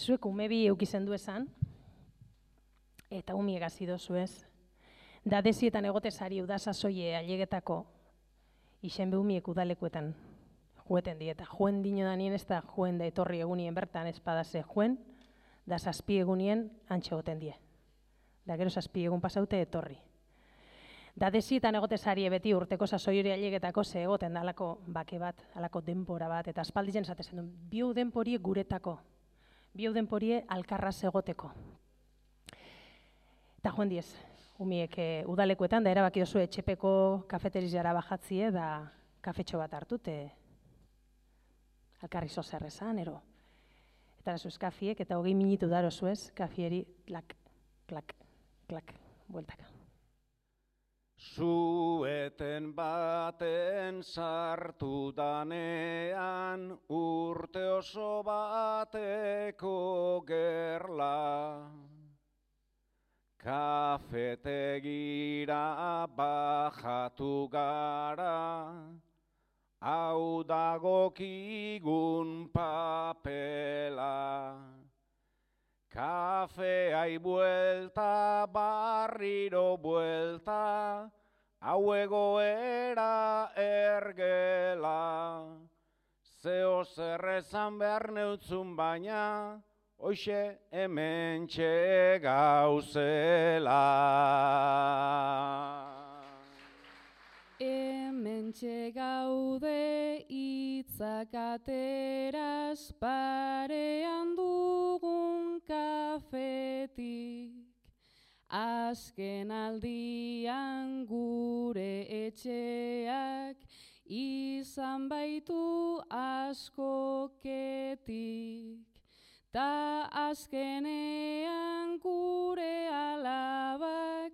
Zuek umebi eukizen du esan, eta umiek hasi dozu ez. Da desietan egotezari udasazoie ailegetako isen behumiek udalekuetan jueten dieta. Joen dino danien ez da joen da etorri egunien bertan espadase joen, da zazpi egunien antxe goten die. Da gero zazpi egun pasaute etorri. Da desietan egotezari beti urteko sasoi hori ailegetako ze egoten da alako bake bat, alako denpora bat, eta aspalditzen esatezen du, biu denporie guretako, biu denporie alkarraz egoteko. Eta joen diez, umiek udalekuetan, da erabaki dozu etxepeko kafeterizara bajatzie, da kafetxo bat hartute, alkarri zozer esan, ero. Eta zuz kafiek, eta 20 minutu daro zuez, kafieri, klak, klak, klak, bueltaka. Zueten baten sartu danean, urte oso bateko gerla. Kafetegira bajatu gara, hau dagokigun papela. Kafeai buelta, barriro buelta, hau egoera ergela. Zeo zerrezan behar neutzun baina, hoxe hementxe gauzela. Hementxe gaude hitzak ateraz parean dugun kafetik. Azken aldian gure etxeak izan baitu askoketik. Ta azkenean gure alabak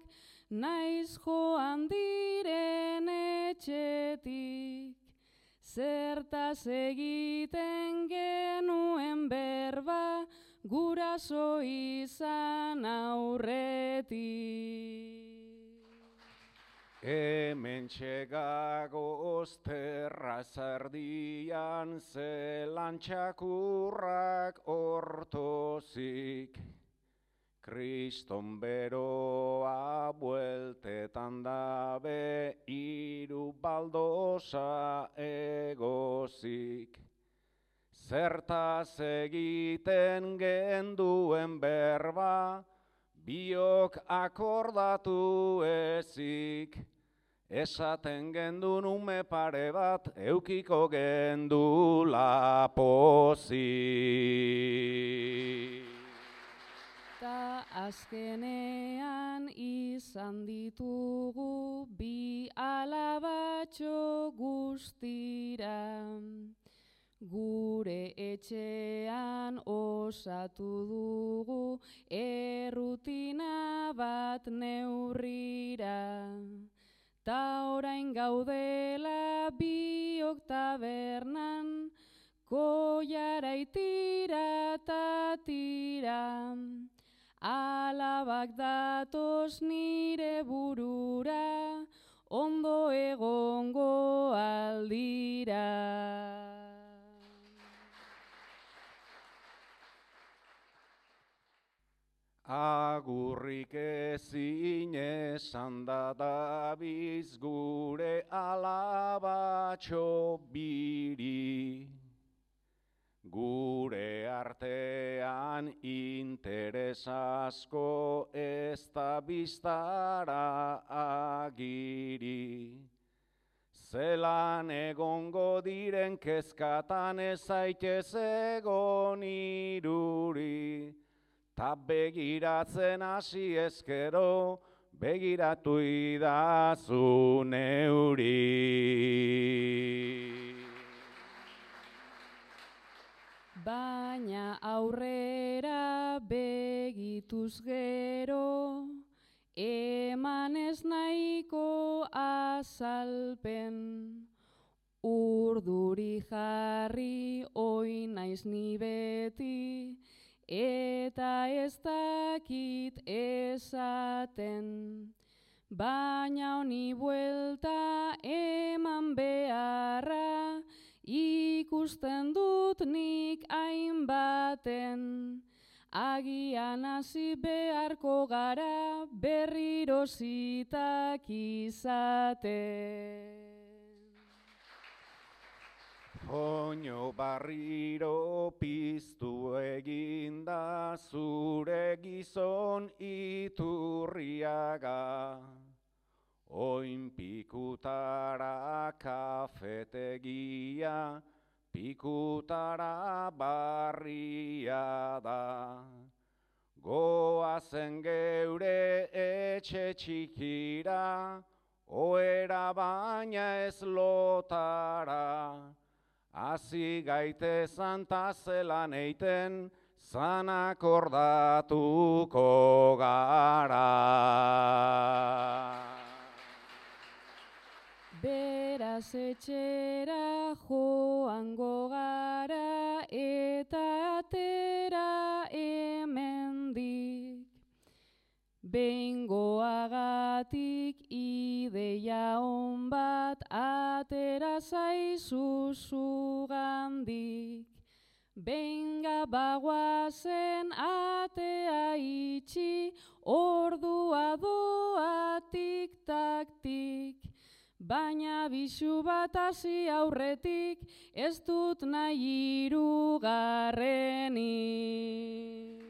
naiz joan diren etxetik. Zertaz egiten genuen berba guraso izan aurretik. Hementxe gagoz terrazerdian zelan txakurrak ortozik. Kriston beroa bueltetan dabe hiru baldosa egozik. Zertaz egiten genduen berba, biok akordatu ezik. Esaten gendun ume pare bat, eukiko gendula pozik. Ta azkenean izan ditugu bi alabatxo guztira. Gure etxean osatu dugu errutina bat neurrira. Ta orain gaudela biok tabernan, koiara itira ta tira. Alabak datoz nire burura, ondo egongo aldira. Agurrik ezin esan da dabiz gure alabatxo biri. Gure artean interes asko ez da biztara agiri. Zelan egongo diren kezkatan ez zaitez egon iruri. Ta begiratzen hasi ezkero, begiratu idazu neuri. Baina aurrera begituz gero, eman ez nahiko azalpen. Urduri jarri oin naiz ni beti, eta ez dakit esaten. Baina honi buelta eman beharra, ikusten dut nik hainbaten. agian hasi beharko gara berriro zitak izaten. Oino barriro piztu eginda zure gizon Iturriaga. Oin pikutara kafetegia, pikutara barria da. Goazen geure etxe txikira, oera baina ez lotara. Hasi gaitezan ta zelan eiten, zanak ordatuko gara. Beraz etxera joango gara eta atera hemendik. Behingoagatik ideia on bat atera zaizu zugandik. Benga bagoazen atea itxi, ordua doa tik-tak-tik. Baina bisu bat hasi aurretik, ez dut nahi hirugarrenik.